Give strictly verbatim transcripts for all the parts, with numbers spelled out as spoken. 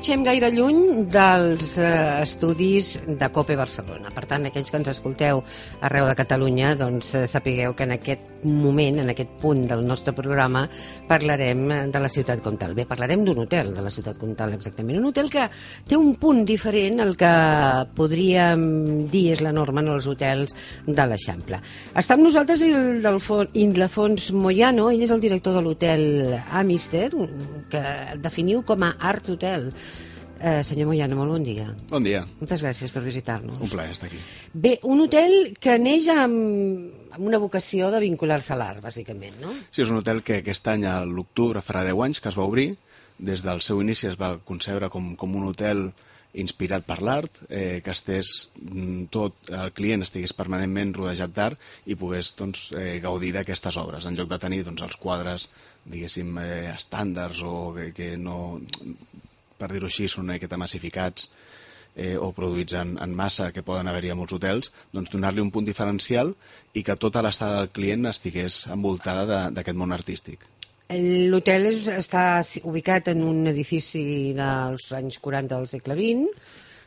marxem gaire lluny dels eh, estudis de COPE Barcelona. Per tant, aquells que ens escolteu arreu de Catalunya, doncs eh, sapigueu que en aquest moment, en aquest punt del nostre programa, parlarem de la ciutat comtal. Bé, parlarem d'un hotel de la ciutat comtal, exactament. Un hotel que té un punt diferent al que podríem dir és la norma en els hotels de l'Eixample. Està amb nosaltres Ildefons Moyano, ell és el director de l'hotel Amister, que definiu com a Art Hotel. Eh, senyor Moyano, molt bon dia. Bon dia. Moltes gràcies per visitar-nos. Un plaer estar aquí. Bé, un hotel que neix amb, amb una vocació de vincular-se a l'art, bàsicament, no? Sí, és un hotel que aquest any, a l'octubre, farà deu anys que es va obrir. Des del seu inici es va concebre com, com un hotel inspirat per l'art, eh, que estés tot, el client estigués permanentment rodejat d'art i pogués doncs, eh, gaudir d'aquestes obres, en lloc de tenir doncs, els quadres, diguéssim, eh, estàndards o que, que no, per dir-ho així, són una miqueta massificats eh, o produïts en, en massa que poden haver-hi a molts hotels, doncs donar-li un punt diferencial i que tota l'estada del client estigués envoltada d'aquest món artístic. L'hotel està ubicat en un edifici dels anys quaranta del segle vint.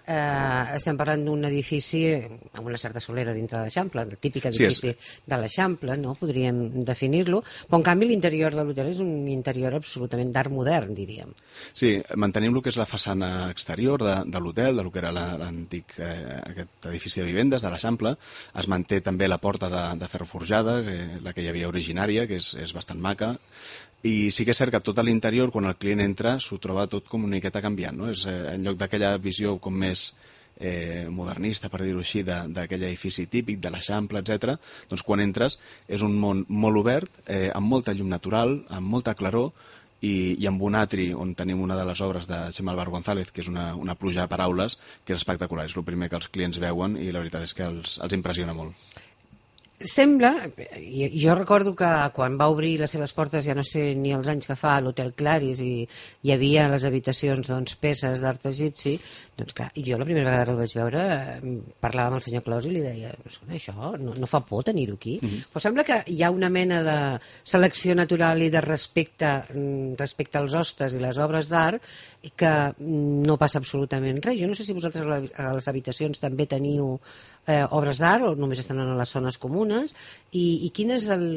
Eh, estem parlant d'un edifici amb una certa solera dintre de l'Eixample, el típic edifici sí, de l'Eixample, no? Podríem definir-lo, però en canvi l'interior de l'hotel és un interior absolutament d'art modern, diríem. Sí, mantenim el que és la façana exterior de, de l'hotel, del que era l'antic eh, aquest edifici de vivendes de l'Eixample. Es manté també la porta de, de ferro forjada, que, la que hi havia originària, que és, és bastant maca. I sí que és cert que tot a l'interior, quan el client entra, s'ho troba tot com una miqueta canviant, no? És, eh, en lloc d'aquella visió com més eh, modernista, per dir-ho així, d'aquell edifici típic, de l'Eixample, etcètera, doncs quan entres és un món molt obert, eh, amb molta llum natural, amb molta claror, i, i amb un atri on tenim una de les obres de Xema Alvar González, que és una, una pluja de paraules, que és espectacular. És el primer que els clients veuen i la veritat és que els, els impressiona molt. Sembla, i jo recordo que quan va obrir les seves portes, ja no sé ni els anys que fa, l'Hotel Claris, i hi havia a les habitacions doncs, peces d'art egipci, doncs clar, jo la primera vegada que el vaig veure parlava amb el senyor Claus i li deia, això no, no fa por tenir-ho aquí, mm-hmm. Però sembla que hi ha una mena de selecció natural i de respecte respecte als hostes i les obres d'art que no passa absolutament res. Jo no sé si vosaltres a les habitacions també teniu eh, obres d'art o només estan a les zones comunes i, i quin és el,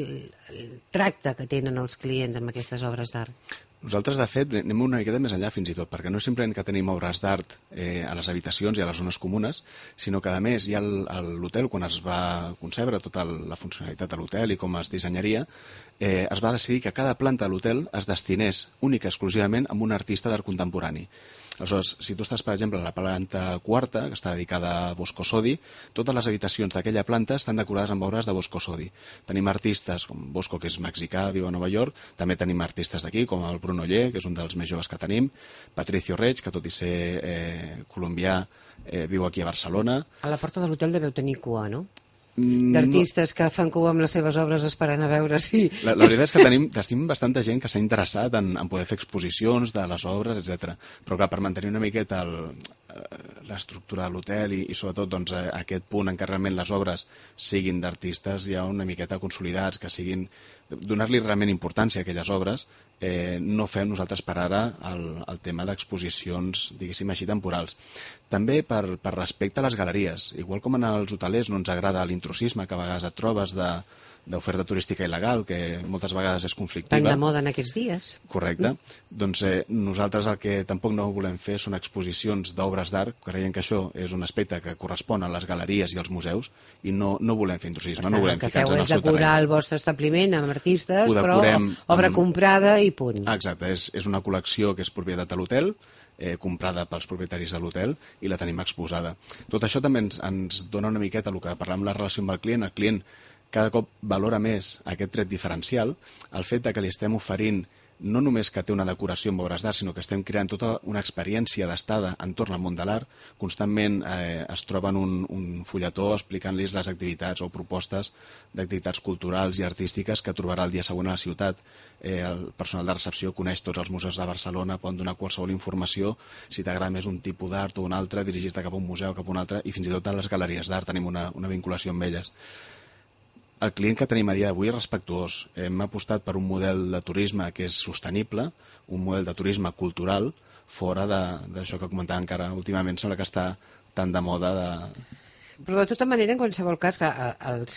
el tracte que tenen els clients amb aquestes obres d'art? Nosaltres, de fet, anem una miqueta més enllà fins i tot, perquè no és simplement que tenim obres d'art eh, a les habitacions i a les zones comunes, sinó que, a més, ja l'hotel, quan es va concebre tota la funcionalitat de l'hotel i com es dissenyaria, eh, es va decidir que cada planta de l'hotel es destinés única i exclusivament a un artista d'art contemporani. Aleshores, si tu estàs, per exemple, a la planta quarta, que està dedicada a Bosco Sodi, totes les habitacions d'aquella planta estan decorades amb obres de Bosco Sodi. Tenim artistes com Bosco, que és mexicà, viu a Nova York, també tenim artistes d'aquí, com el Bruno Oller, que és un dels més joves que tenim, Patricio Reig, que tot i ser eh, colombià, eh, viu aquí a Barcelona. A la porta de l'hotel deveu tenir cua, no? D'artistes que fan cua amb les seves obres esperant a veure si... La, la veritat és que tenim, tenim bastanta gent que s'ha interessat en, en poder fer exposicions de les obres, etcètera. Però clar, per mantenir una miqueta l'estructura de l'hotel i, i sobretot doncs, aquest punt en què realment les obres siguin d'artistes ja una miqueta consolidats, que siguin... donar-li realment importància a aquelles obres, eh, no fem nosaltres per ara el, el tema d'exposicions, diguéssim així, temporals. També per, per respecte a les galeries. Igual com en els hotelers no ens agrada l'intrusisme que a vegades et trobes de d'oferta turística il·legal, que moltes vegades és conflictiva. Tan de moda en aquests dies. Correcte. Mm. Doncs eh, nosaltres el que tampoc no volem fer són exposicions d'obres d'art, creiem que això és un aspecte que correspon a les galeries i als museus, i no, no volem fer intrusisme, tant, no volem ficar-nos en el seu terreny. El que feu és decorar el vostre establiment amb artistes, però obra amb... comprada i punt. Exacte, és, és una col·lecció que és propietat de l'hotel, Eh, comprada pels propietaris de l'hotel i la tenim exposada. Tot això també ens, ens dona una miqueta el que parlem la relació amb el client. El client cada cop valora més aquest tret diferencial, el fet de que li estem oferint no només que té una decoració amb obres d'art, sinó que estem creant tota una experiència d'estada entorn al món de l'art. Constantment eh, es troben un, un fulletó explicant-los les activitats o propostes d'activitats culturals i artístiques que trobarà el dia següent a la ciutat. Eh, el personal de recepció coneix tots els museus de Barcelona, poden donar qualsevol informació, si t'agrada més un tipus d'art o un altre, dirigir-te cap a un museu, cap a un altre, i fins i tot a les galeries d'art tenim una, una vinculació amb elles. El client que tenim a dia d'avui és respectuós. Hem apostat per un model de turisme que és sostenible, un model de turisme cultural, fora d'això que comentava encara últimament, sembla que està tan de moda de... Però de tota manera, en qualsevol cas, que els,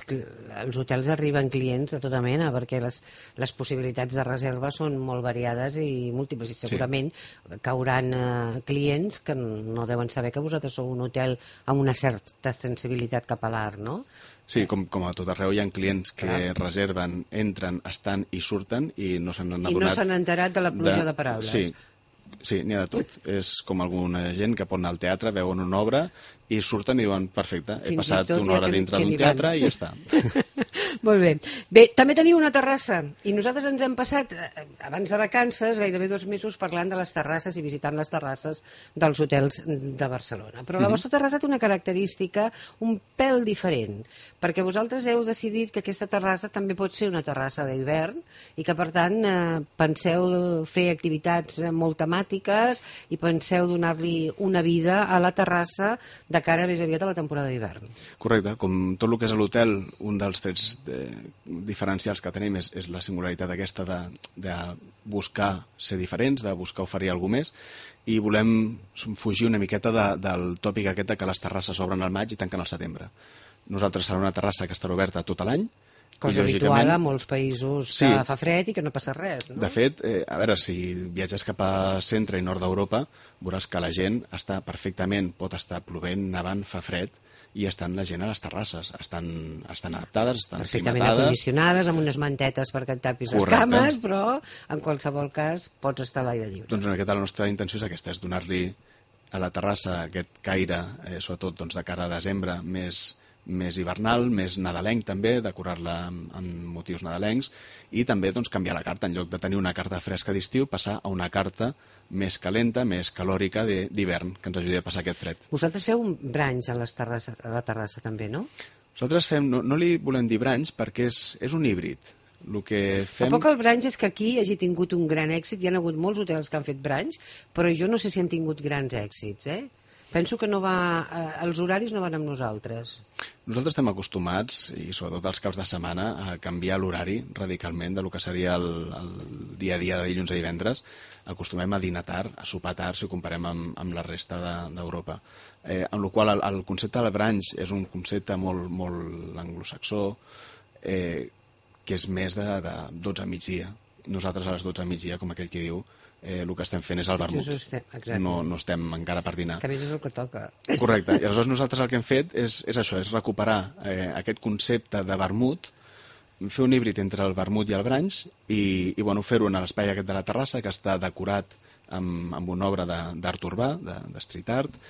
els hotels arriben clients de tota mena, perquè les, les possibilitats de reserva són molt variades i múltiples, i segurament sí. cauran eh, clients que no deuen saber que vosaltres sou un hotel amb una certa sensibilitat cap a l'art, no? Sí, com, com a tot arreu hi ha clients que Clar. reserven, entren, estan i surten i no s'han adonat... I no s'han enterat de la pluja de, de paraules. Sí, sí, n'hi ha de tot. És com alguna gent que pot anar al teatre, veuen una obra i surten i diuen, perfecte, he Fins passat una hora dintre d'un teatre i ja està. Molt bé. Bé, també teniu una terrassa i nosaltres ens hem passat, abans de vacances, gairebé dos mesos parlant de les terrasses i visitant les terrasses dels hotels de Barcelona. Però la vostra terrassa té una característica un pèl diferent, perquè vosaltres heu decidit que aquesta terrassa també pot ser una terrassa d'hivern i que, per tant, eh, penseu fer activitats molt temàtiques i penseu donar-li una vida a la terrassa de cara més aviat a la temporada d'hivern. Correcte. Com tot el que és l'hotel, un dels trets de, diferencials que tenim és, és la singularitat aquesta de, de buscar ser diferents, de buscar oferir alguna més, i volem fugir una miqueta de, del tòpic aquest que les terrasses obren al maig i tanquen al setembre. Nosaltres serà una terrassa que estarà oberta tot l'any. Cosa habitual a molts països que sí. fa fred i que no passa res, no? De fet, eh, a veure, si viatges cap a centre i nord d'Europa, veuràs que la gent està perfectament, pot estar plovent, nevant, fa fred, i estan la gent a les terrasses. Estan, estan adaptades, estan perfectament aclimatades. acondicionades, amb unes mantetes perquè et tapis les cames, però en qualsevol cas pots estar a l'aire lliure. Doncs una miqueta la nostra intenció és aquesta, és donar-li a la terrassa aquest caire, eh, sobretot doncs, de cara a desembre, més... més hivernal, més nadalenc també, decorar-la amb, amb motius nadalencs i també doncs, canviar la carta. En lloc de tenir una carta fresca d'estiu, passar a una carta més calenta, més calòrica d'hivern, que ens ajudi a passar aquest fred. Vosaltres feu un branch a, les terrassa, a la terrassa també, no? Nosaltres fem, no, no li volem dir branch perquè és, és un híbrid. El que fem... Tampoc el branch és que aquí hagi tingut un gran èxit, hi ha hagut molts hotels que han fet branch, però jo no sé si han tingut grans èxits, eh? Penso que no va, eh, els horaris no van amb nosaltres. Nosaltres estem acostumats, i sobretot els caps de setmana, a canviar l'horari radicalment de lo que seria el, el dia a dia de dilluns a divendres. Acostumem a dinar tard, a sopar tard, si ho comparem amb, amb la resta d'Europa. De, eh, amb la qual el, el concepte del brunch és un concepte molt, molt anglosaxó, eh, que és més de, de dotze a migdia. Nosaltres a les dotze a migdia, com aquell que diu, Eh, el que estem fent és el vermut. No, no estem encara per dinar. Que a més és el que toca. Correcte. I aleshores nosaltres el que hem fet és, és això, és recuperar eh, aquest concepte de vermut, fer un híbrid entre el vermut i el brunch i, i bueno, fer-ho en l'espai aquest de la terrassa que està decorat amb, amb una obra d'art urbà, de, de street art,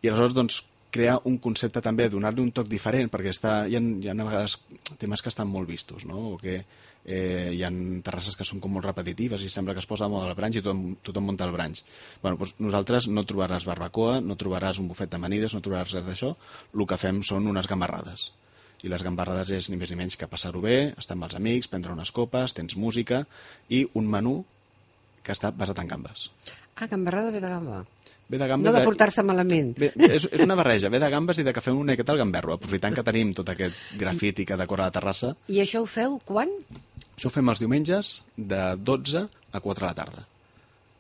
i aleshores doncs crear un concepte també, donar-li un toc diferent, perquè està, hi, ha, hi ha a vegades temes que estan molt vistos, no? O que eh, hi ha terrasses que són com molt repetitives i sembla que es posa de moda el brunch i tothom, tothom munta el brunch. Bueno, doncs nosaltres no trobaràs barbacoa, no trobaràs un bufet d'amanides, no trobaràs res d'això. El que fem són unes gambarrades. I les gambarrades és ni més ni menys que passar-ho bé, estar amb els amics, prendre unes copes, tens música i un menú que està basat en gambes. Ah, gambarrada ve de gamba. Ve de gambes, no de portar-se malament. Ve, és, és una barreja, ve de gambes i de que fem una miqueta al gamberro, aprofitant que tenim tot aquest grafiti que decora la terrassa. I això ho feu quan? Això ho fem els diumenges de dotze a quatre de la tarda.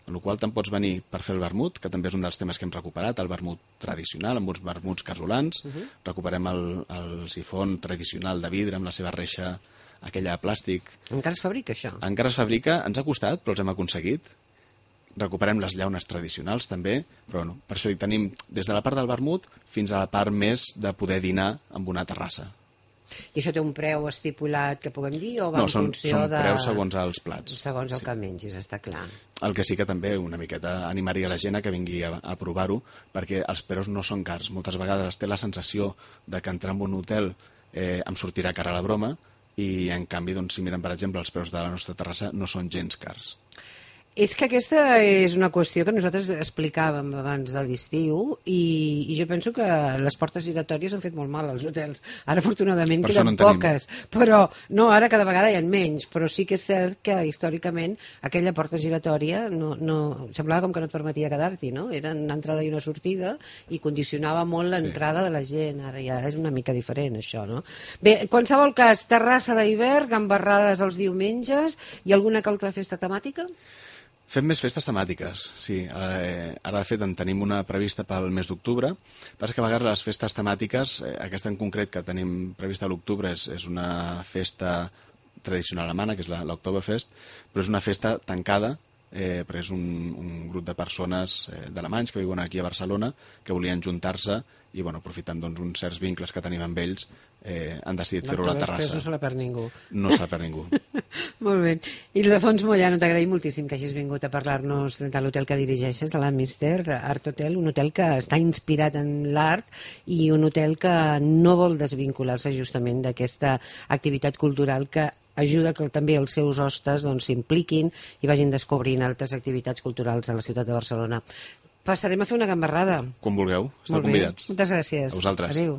En la qual te'n pots venir per fer el vermut, que també és un dels temes que hem recuperat, el vermut tradicional, amb uns vermuts casolans. Uh -huh. Recuperem el, el sifon tradicional de vidre amb la seva reixa, aquella de plàstic. Encara es fabrica això? Encara es fabrica, ens ha costat, però els hem aconseguit. Recuperem les llaunes tradicionals també, però no, per això hi tenim des de la part del vermut fins a la part més de poder dinar amb una terrassa. I això té un preu estipulat que puguem dir o va no, en són, funció són de... preus segons els plats. Segons el sí. que mengis, està clar. El que sí que també una miqueta animaria la gent a que vingui a, a provar-ho, perquè els preus no són cars. Moltes vegades es té la sensació de que entrar en un hotel eh, em sortirà cara a la broma i en canvi, doncs, si miren per exemple els preus de la nostra terrassa no són gens cars. És que aquesta és una qüestió que nosaltres explicàvem abans de l'estiu i, i jo penso que les portes giratòries han fet molt mal als hotels. Ara, afortunadament, per queden no poques, però no, ara cada vegada hi ha menys, però sí que és cert que històricament aquella porta giratòria no, no, semblava com que no et permetia quedar-t'hi, no? Era una entrada i una sortida i condicionava molt l'entrada sí. de la gent. Ara ja és una mica diferent, això, no? Bé, en qualsevol cas, terrassa d'hivern, gambarrades els diumenges i alguna que altra festa temàtica? Fem més festes temàtiques, sí. Eh, ara, de fet, en tenim una prevista pel mes d'octubre. Passa que a vegades les festes temàtiques, eh, aquesta en concret que tenim prevista a l'octubre, és, és una festa tradicional alemana, que és l'Oktoberfest, però és una festa tancada, eh, perquè és un, un grup de persones eh, d'alemanys que viuen aquí a Barcelona, que volien juntar-se i, bueno, aprofitant doncs, uns certs vincles que tenim amb ells, eh, han decidit fer-ho a la terrassa. No se la perd ningú. No se la perd ningú. Molt bé. Ildefons Moyano, t'agraïm moltíssim que hagis vingut a parlar-nos de l'hotel que dirigeixes, de l'Amister Art Hotel, un hotel que està inspirat en l'art i un hotel que no vol desvincular-se justament d'aquesta activitat cultural que ajuda que també els seus hostes s'impliquin doncs, i vagin descobrint altres activitats culturals a la ciutat de Barcelona. Passarem a fer una gambarrada. Quan vulgueu, esteu convidats. Moltes gràcies. A vosaltres. Adéu.